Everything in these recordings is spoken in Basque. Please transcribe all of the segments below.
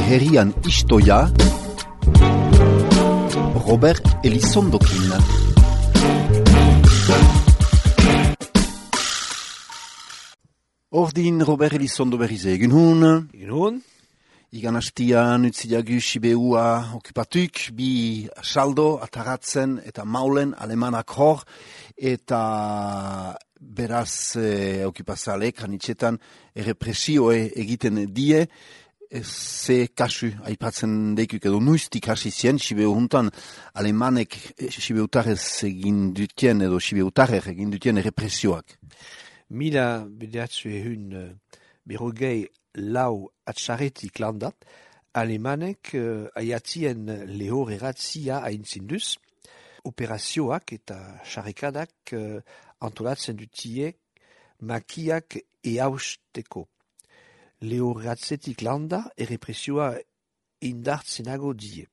herrian istoia, Robert Elizondokin. Ordin Robert Elizondo berriz egin hun. Igan hastian utziagu Sibeua okupatuk, bi saldo, ataratzen eta maulen alemanak hor, eta beraz okupazalek hanitxetan errepresioe egiten die, ze kasu aipatzen deikuk edo nuiztik hasi zien, Sibeu juntan alemanek Sibeutarrez egin dutien edo Sibeutarrez egin dutien errepresioak. Mila bedeatzu ehun berrogei lau atxarretik landat, alemanek aiatien lehor eratzia aintzinduz, operazioak eta xarrikadak antolatzen dutiek makiak eausteko. Lehor eratzetik landa errepresioa indartzenago die.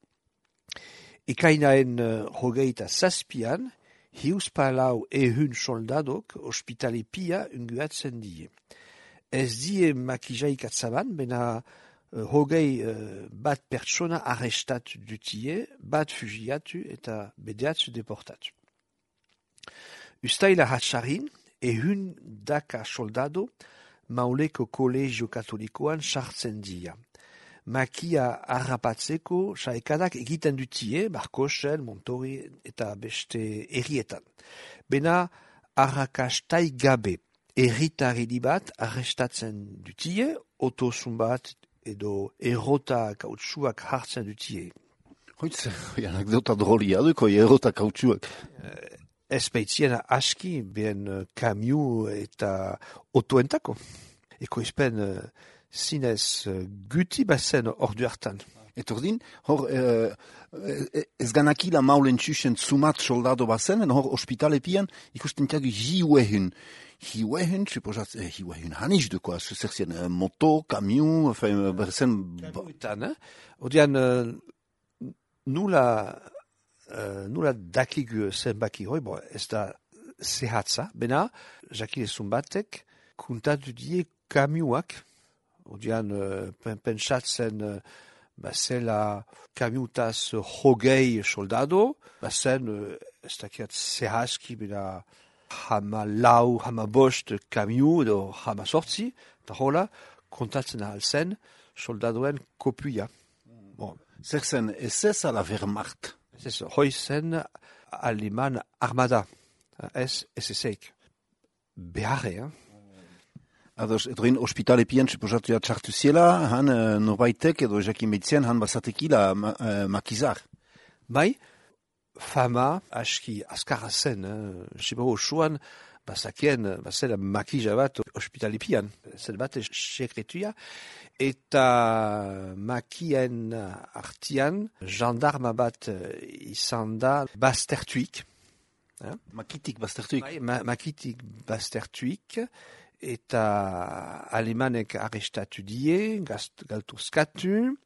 Ekainaen hogeita zazpian, hiuspalau ehun soldadok ospitale pia unguatzen die. Ez die makijaik atzaban, bena hogei bat pertsona arrestatu dutie, bat fugiatu eta bedeatzu deportatu. Ustaila hatxarin, ehun daka soldado mauleko kolegio katolikoan sartzen dia. Makia harrapatzeko saekadak egiten dutie, Barkosen, Montori eta beste herrietan. Bena arrakastai gabe. Erritarri bat arrestatzen dutie, otozun bat edo errota kautsuak hartzen dutie. Hoitz, anekdota drolia duko, errota kautsuak. Ez baitzien aski, ben kamiu eta otoentako. Eko izpen zinez guti bazen ordu hartan. Etordin, hor ez ganakila maulen txusen zumat soldado bazen, hor ospitale pian ikusten tiagu hiuehun. Hiuehun, hiuehun hanis duko, zer zien, moto, kamiu, berzen... Kamiuetan, Odian, nula dakigu zenbaki hoi, ez da zehatza, bena, jakilezun batek, kuntatu die kamiuak, Odian, pentsatzen, bazela kamiutaz hogei soldado, bazen, ez dakiat zehazki, bena, hama lau, hama bost kamiu edo hama sortzi, eta hola, kontatzen ahal zen, soldadoen kopuia. Bon. Zer zen, ez ala Wehrmacht? Ez, hoi zen aleman armada, ez ezeik. Beharre, Ados, edrin ospitale pian, suposatu ja txartu ziela, han norbaitek edo jakin behitzen, han bazatekila makizar. Bai, fama aski askarra zen, Sibau osoan, bazela makija bat ospitalipian, zen bat sekretuia, eta makien artian, jandarma bat izan da baztertuik. Makitik baztertuik? Bai, makitik baztertuik, eta alemanek arrestatu die, galtuzkatu,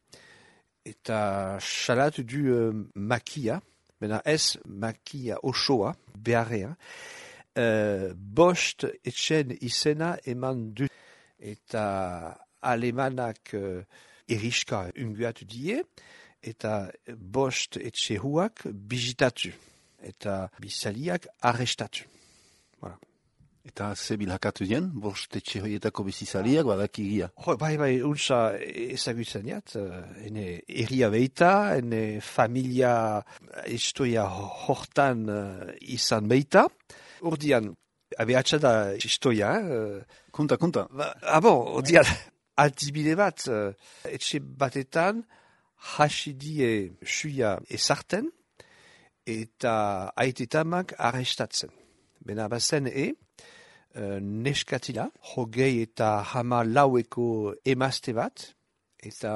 eta salatu du makia, bena ez makia osoa, beharrea, bost etxen izena eman du, eta alemanak eriska unguatu die, eta bost etxehuak bizitatu, eta bizaliak arrestatu. Voilà. Eta ze bilhakatu dien, bost etxe hoietako bizizaliak badakigia. Bai, untsa ezagutzen jat, ene erria beita, ene familia historia hortan izan beita. Ordian, abeatxa da historia. Konta. Ordian, altibide bat, etxe batetan, hasidie suia ezarten, eta aitetamak arrestatzen. Bena bazen neskatila, hogei eta hama laueko emazte bat, eta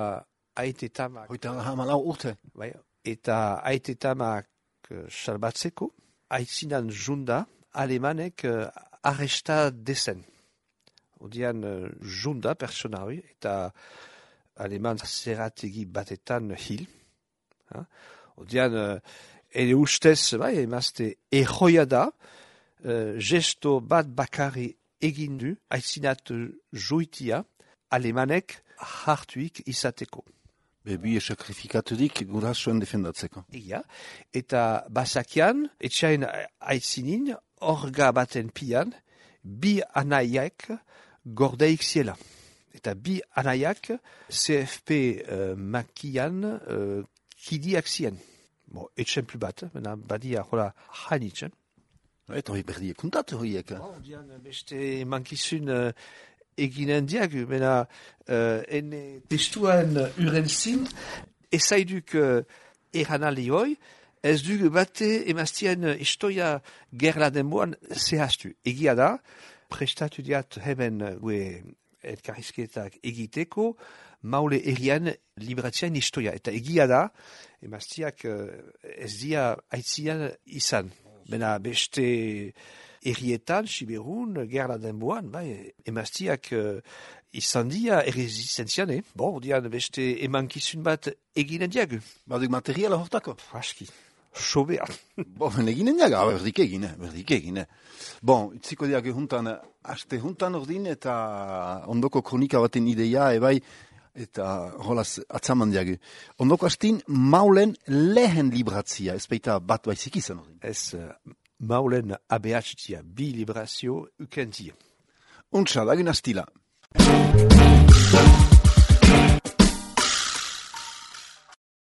aitetamak... Hoita hama lau urte? Bai, eta aitetamak salbatzeko, aitzinan junda, alemanek arresta dezen. Odian junda persona hori, eta aleman zerategi batetan hil. Odian, ere ustez, bai, emazte erroia da, gesto bat bakarri egindu, aitzinat joitia, alemanek hartuik izateko. Bebi sakrifikaturik gurasoen defendatzeko. Egia, eta basakian, etxain aitzinin, orga baten pian, bi anaiak gordeik ziela. Eta bi anaiak CFP makian kidiak zien. Bon, etxemplu bat, badia jola janitzen. Eta hori berdiek kuntatu horiek. Dian beste mankizun eginen diagu, ene testuan uren zin, ezaiduk eranali hoi, ez dugu bate emaztien istoia gerla denboan zehaztu. Egia da, prestatu diat hemen gue elkarrizketak egiteko, maule erian libratzean istoia. Eta egia da, emaztiak ez dia aitzian izan. Beste errietan, Siberun, gerla denboan, emaztiak izan dia erresistentzian, dian beste emankizun bat eginen diagu. Baduk materiala hortako? Aski, sobea. Eginen diaga, berdik egine. Itziko diagu juntan, aste juntan ordin eta ondoko kronika baten ideia, ebai, eta holaz atzaman diagu. Ondoko astin, maulen lehen libratzia, ez baita bat baizik izan ordin. Ez maulen abehatzitia, bi librazio ukentia. Untsa, dagun astila.